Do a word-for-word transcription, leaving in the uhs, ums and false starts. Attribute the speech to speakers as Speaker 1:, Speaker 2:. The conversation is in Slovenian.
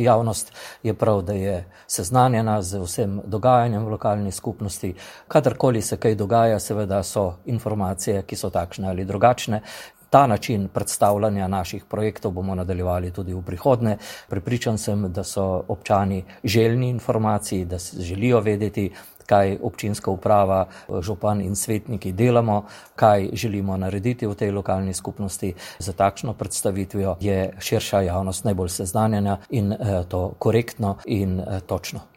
Speaker 1: Javnost je prav, da je seznanjena z vsem dogajanjem v lokalni skupnosti. Kadarkoli se kaj dogaja, seveda so informacije, ki so takšne ali drugačne. Ta način predstavljanja naših projektov bomo nadaljevali tudi v prihodnje. Prepričan sem, da so občani željni informacij, da želijo vedeti, kaj občinska uprava, župan in svetniki delamo, kaj želimo narediti v tej lokalni skupnosti. Za takšno predstavitvijo je širša javnost najbolj seznanjena in to korektno in točno.